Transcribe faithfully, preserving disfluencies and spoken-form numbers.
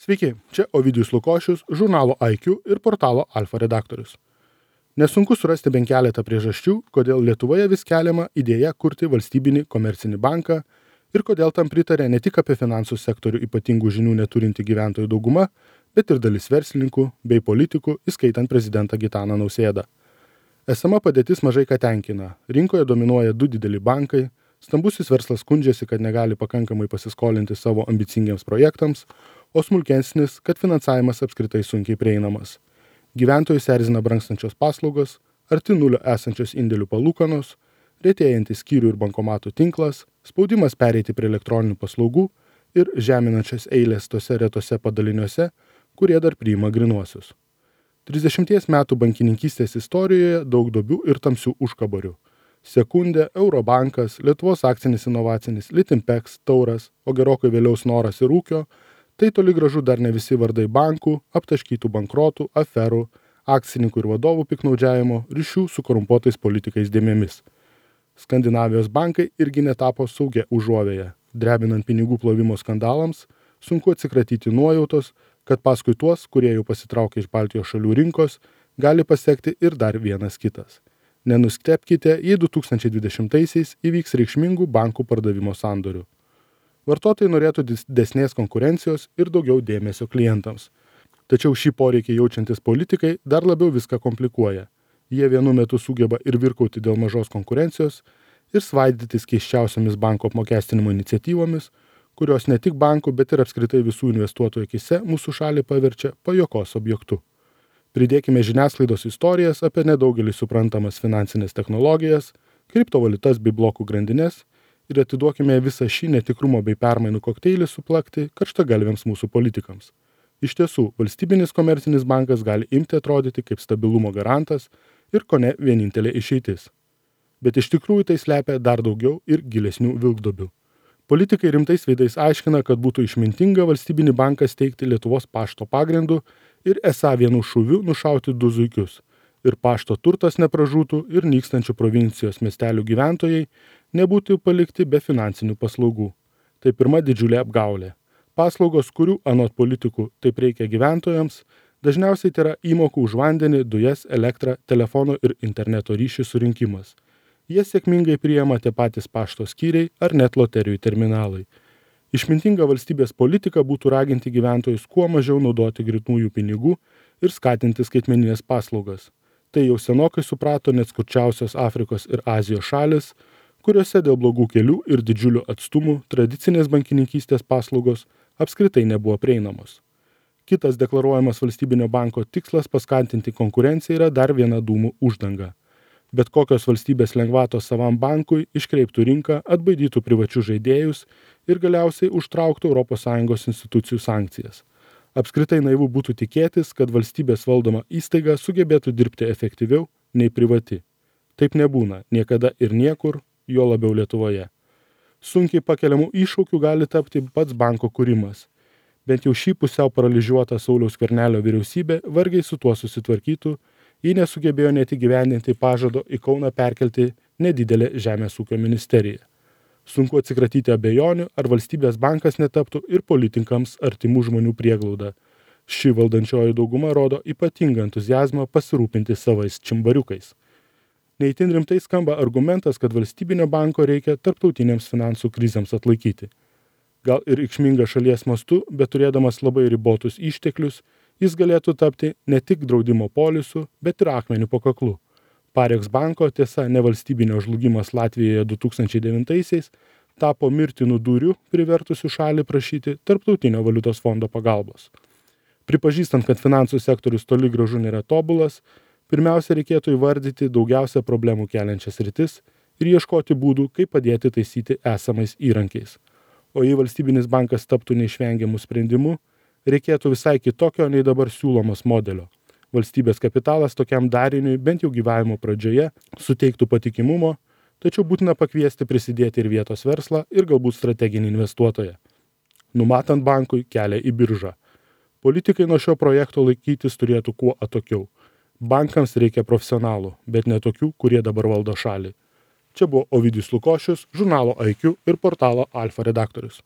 Sveiki, čia Ovidijus Lukošius, žurnalo I Q ir portalo Alfa redaktorius. Nesunku surasti bent keletą priežasčių, kodėl Lietuvoje vis keliama idėja kurti valstybinį komercinį banką ir kodėl tam pritarė ne tik apie finansų sektorių ypatingų žinių neturinti gyventojų dauguma, bet ir dalis verslininkų bei politikų, įskaitant prezidentą Gitaną Nausėdą. Esama padėtis mažai ką tenkina. Rinkoje dominuoja du dideli bankai, stambusis verslas skundžiasi, kad negali pakankamai pasiskolinti savo ambicingiams projektams, o smulkesnis, kad finansavimas apskritai sunkiai prieinamas. Gyventojus erzina brangstančios paslaugos, arti nulio esančios indėlių palūkanos, retėjantis skyrių ir bankomatų tinklas, spaudimas pereiti prie elektroninių paslaugų ir žeminančios eilės tose retose padaliniuose, kurie dar priima grinuosius. trisdešimties metų bankininkystės istorijoje daug duobių ir tamsių užkabarių. Sekundė, Eurobankas, Lietuvos akcinis inovacinis, Litimpex, Tauras, o gerokai vėliau Snoras ir Ūkio, tai toli gražu dar ne visi vardai bankų, aptaškytų bankrotų, aferų, akcininkų ir vadovų piknaudžiavimo, ryšių su korumpuotais politikais dėmėmis. Skandinavijos bankai irgi netapo saugia užuovėje. Drebinant pinigų plovimo skandalams, sunku atsikratyti nuojautos, kad paskui tuos, kurie jau pasitraukė iš Baltijos šalių rinkos, gali pasekti ir dar vienas kitas. Nenustebkite, jei du tūkstančiai dvidešimtaisiais įvyks reikšmingų bankų pardavimo sandorių. Vartotojai norėtų didesnės konkurencijos ir daugiau dėmesio klientams. Tačiau šį poreikį jaučiantis politikai dar labiau viską komplikuoja. Jie vienu metu sugeba ir virkauti dėl mažos konkurencijos ir svaidytis keiščiausiamis banko apmokestinimo iniciatyvomis, kurios ne tik bankų, bet ir apskritai visų investuotojų akise mūsų šalį paverčia pajokos objektu. Pridėkime žiniasklaidos istorijas apie nedaugelį suprantamas finansinės technologijas, kriptovaliutas bei blokų grandines ir atiduokime visą šį netikrumo bei permainų kokteilį suplakti karštagalviams mūsų politikams. Iš tiesų, valstybinis komercinis bankas gali imti atrodyti kaip stabilumo garantas ir kone vienintelė išeitis. Bet iš tikrųjų tai slepia dar daugiau ir gilesnių vilkduobių. Politikai rimtais veidais aiškina, kad būtų išmintinga valstybinį banką steigti Lietuvos pašto pagrindu ir esą vienu šūviu nušauti du zuikius. Ir pašto turtas nepražūtų ir nykstančių provincijos miestelių gyventojai nebūtų palikti be finansinių paslaugų. Tai pirma didžiulė apgaulė. Paslaugos, kurių anot politikų taip reikia gyventojams, dažniausiai tai yra įmokų už vandenį, dujas, elektrą, telefono ir interneto ryšį surinkimas. Jie sėkmingai priima tie patys pašto skyriai ar net loterijų terminalai. Išmintinga valstybės politika būtų raginti gyventojus kuo mažiau naudoti grynųjų pinigų ir skatinti skaitmeninės paslaugas. Tai jau senokai suprato net skurčiausios Afrikos ir Azijos šalis, kuriuose dėl blogų kelių ir didžiulių atstumų tradicinės bankininkystės paslaugos apskritai nebuvo prieinamos. Kitas deklaruojamas valstybinio banko tikslas paskatinti konkurenciją yra dar viena dūmų uždanga. Bet kokios valstybės lengvatos savam bankui iškreiptų rinką, atbaidytų privačius žaidėjus ir galiausiai užtrauktų Europos Sąjungos institucijų sankcijas. Apskritai naivu būtų tikėtis, kad valstybės valdoma įstaiga sugebėtų dirbti efektyviau nei privati. Taip nebūna niekada ir niekur, juo labiau Lietuvoje. Sunkiai pakeliamų iššūkių gali tapti pats banko kūrimas. Bent jau šį pusiau paralyžiuotą Sauliaus Skvernelio vyriausybė vargiai su tuo susitvarkytų, jei nesugebėjo net įgyvendinti pažado į Kauną perkelti nedidelę Žemės ūkio ministeriją. Sunku atsikratyti abejonių, ar valstybės bankas netaptų ir politikams artimų žmonių prieglauda. Ši valdančioji dauguma rodo ypatingą entuziazmą pasirūpinti savais čimbariukais. Neįtin rimtai skamba argumentas, kad valstybinio banko reikia tarptautinėms finansų krizėms atlaikyti. Gal ir reikšminga šalies mastu, bet turėdamas labai ribotus išteklius, jis galėtų tapti ne tik draudimo polisu, bet ir akmeniu po kaklu. Pareks banko, tiesa, nevalstybinio žlugimas Latvijoje du tūkstančiai devintaisiais tapo mirtinų dūrių, privertusių šalį prašyti Tarptautinio valiutos fondo pagalbos. Pripažįstant, kad finansų sektorius toli gražu nėra tobulas, pirmiausia reikėtų įvardyti daugiausia problemų keliančias sritis ir ieškoti būdų, kaip padėti taisyti esamais įrankiais. O jei valstybinis bankas taptų neišvengiamų sprendimų, reikėtų visai kitokio nei dabar siūlomos modelio. Valstybės kapitalas tokiam dariniui bent jau gyvavimo pradžioje suteiktų patikimumo, tačiau būtina pakviesti prisidėti ir vietos verslą ir galbūt strateginį investuotoją. Numatant bankui kelią į biržą. Politikai nuo šio projekto laikytis turėtų kuo atokiau. Bankams reikia profesionalų, bet ne tokių, kurie dabar valdo šalį. Čia buvo Ovidijus Lukošius, žurnalo I Q ir portalo Alfa redaktorius.